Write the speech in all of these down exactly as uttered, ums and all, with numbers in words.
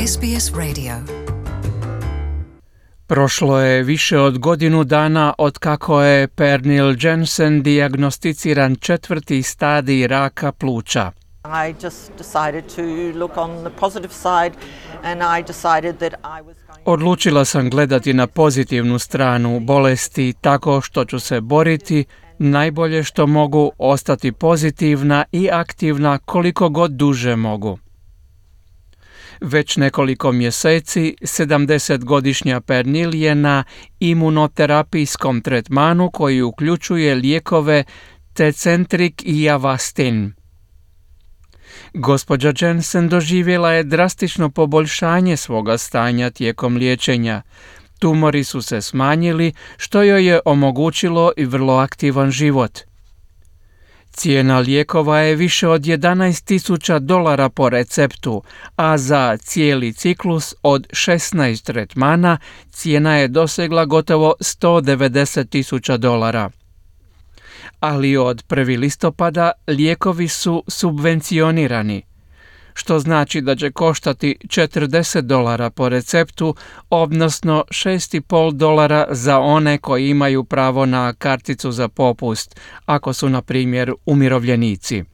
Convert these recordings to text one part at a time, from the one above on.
S B S Radio. Prošlo je više od godinu dana od kako je Pernille Jensen dijagnosticiran četvrti stadij raka pluća. I just decided to look on the positive side and I decided that I was going... Odlučila sam gledati na pozitivnu stranu bolesti tako što ću se boriti najbolje što mogu, ostati pozitivna i aktivna koliko god duže mogu. Već nekoliko mjeseci sedamdesetgodišnja Pernille je na imunoterapijskom tretmanu koji uključuje lijekove Tecentriq i Avastin. Gospođa Jensen doživjela je drastično poboljšanje svoga stanja tijekom liječenja. Tumori su se smanjili, što joj je omogućilo i vrlo aktivan život. Cijena lijekova je više od jedanaest tisuća dolara po receptu, a za cijeli ciklus od šesnaest tretmana cijena je dosegla gotovo sto devedeset tisuća dolara. Ali od prvog listopada lijekovi su subvencionirani, što znači da će koštati četrdeset dolara po receptu, odnosno šest i pol dolara za one koji imaju pravo na karticu za popust, ako su, na primjer, umirovljenici.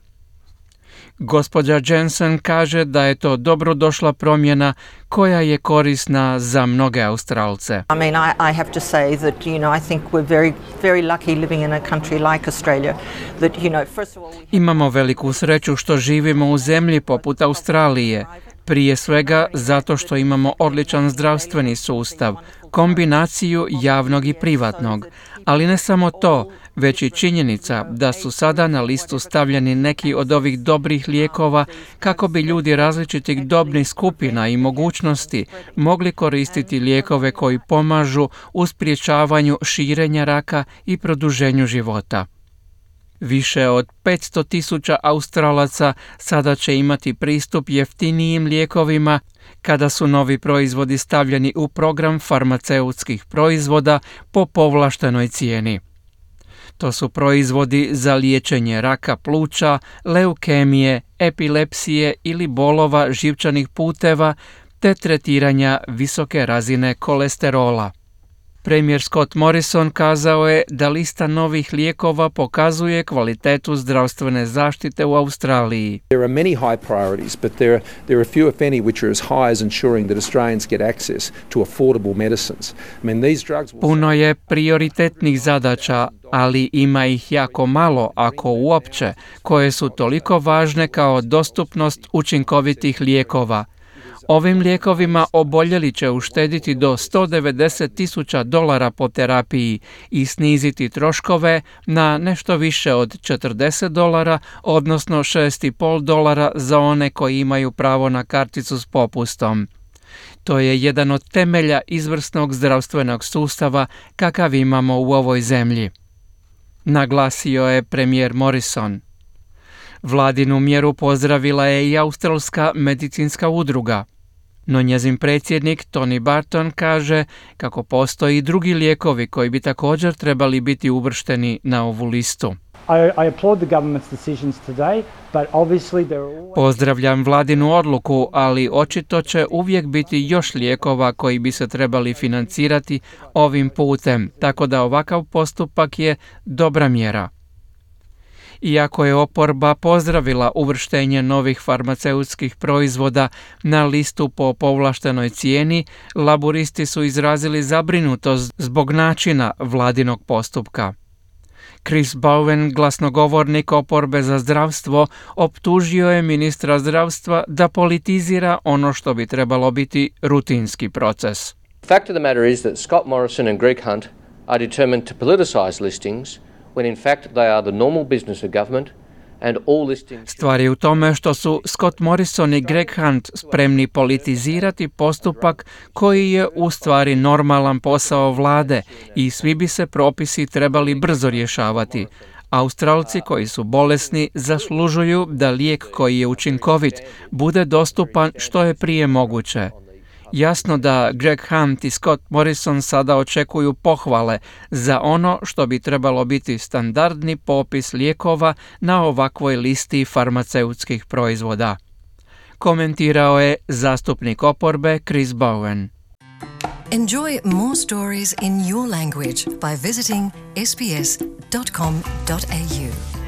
Gospođa Jensen kaže da je to dobrodošla promjena koja je korisna za mnoge Australce. I mean, I, I have to say that, you know, I think we're very, very lucky living in a country like Australia. That, you know, first of all... We... Imamo veliku sreću što živimo u zemlji poput Australije. Prije svega zato što imamo odličan zdravstveni sustav, kombinaciju javnog i privatnog. Ali ne samo to, već i činjenica da su sada na listu stavljeni neki od ovih dobrih lijekova kako bi ljudi različitih dobnih skupina i mogućnosti mogli koristiti lijekove koji pomažu u sprječavanju širenja raka i produženju života. Više od petsto tisuća Australaca sada će imati pristup jeftinijim lijekovima kada su novi proizvodi stavljeni u program farmaceutskih proizvoda po povlaštenoj cijeni. To su proizvodi za liječenje raka pluća, leukemije, epilepsije ili bolova živčanih puteva te tretiranja visoke razine kolesterola. Premijer Scott Morrison kazao je da lista novih lijekova pokazuje kvalitetu zdravstvene zaštite u Australiji. There are many high priorities, but there are, there are few if any which are as high as ensuring that Australians get access to affordable medicines. I mean, these drugs will... Puno je prioritetnih zadaća, ali ima ih jako malo, ako uopće, koje su toliko važne kao dostupnost učinkovitih lijekova. Ovim lijekovima oboljeli će uštediti do sto devedeset tisuća dolara po terapiji i sniziti troškove na nešto više od četrdeset dolara, odnosno šest i pol dolara za one koji imaju pravo na karticu s popustom. To je jedan od temelja izvrsnog zdravstvenog sustava kakav imamo u ovoj zemlji, naglasio je premijer Morrison. Vladinu mjeru pozdravila je i Australska medicinska udruga, no njezin predsjednik Tony Barton kaže kako postoji drugi lijekovi koji bi također trebali biti uvršteni na ovu listu. I, I applaud the government's decisions today, but obviously there are always... Pozdravljam vladinu odluku, ali očito će uvijek biti još lijekova koji bi se trebali financirati ovim putem, tako da ovakav postupak je dobra mjera. Iako je oporba pozdravila uvrštenje novih farmaceutskih proizvoda na listu po povlaštenoj cijeni, laburisti su izrazili zabrinutost zbog načina vladinog postupka. Chris Bowen, glasnogovornik oporbe za zdravstvo, optužio je ministra zdravstva da politizira ono što bi trebalo biti rutinski proces. The fact of the matter is that Scott Morrison and Greg Hunt are determined to politicize listings when in fact they are the normal business of government and all listings... Stvar je u tome što su Scott Morrison i Greg Hunt spremni politizirati postupak koji je u stvari normalan posao vlade i svi bi se propisi trebali brzo rješavati. Australci koji su bolesni zaslužuju da lijek koji je učinkovit bude dostupan što je prije moguće. Jasno da Greg Hunt i Scott Morrison sada očekuju pohvale za ono što bi trebalo biti standardni popis lijekova na ovakvoj listi farmaceutskih proizvoda. komentirao je zastupnik oporbe Chris Bowen. Enjoy more stories in your language by visiting s b s dot com dot a u.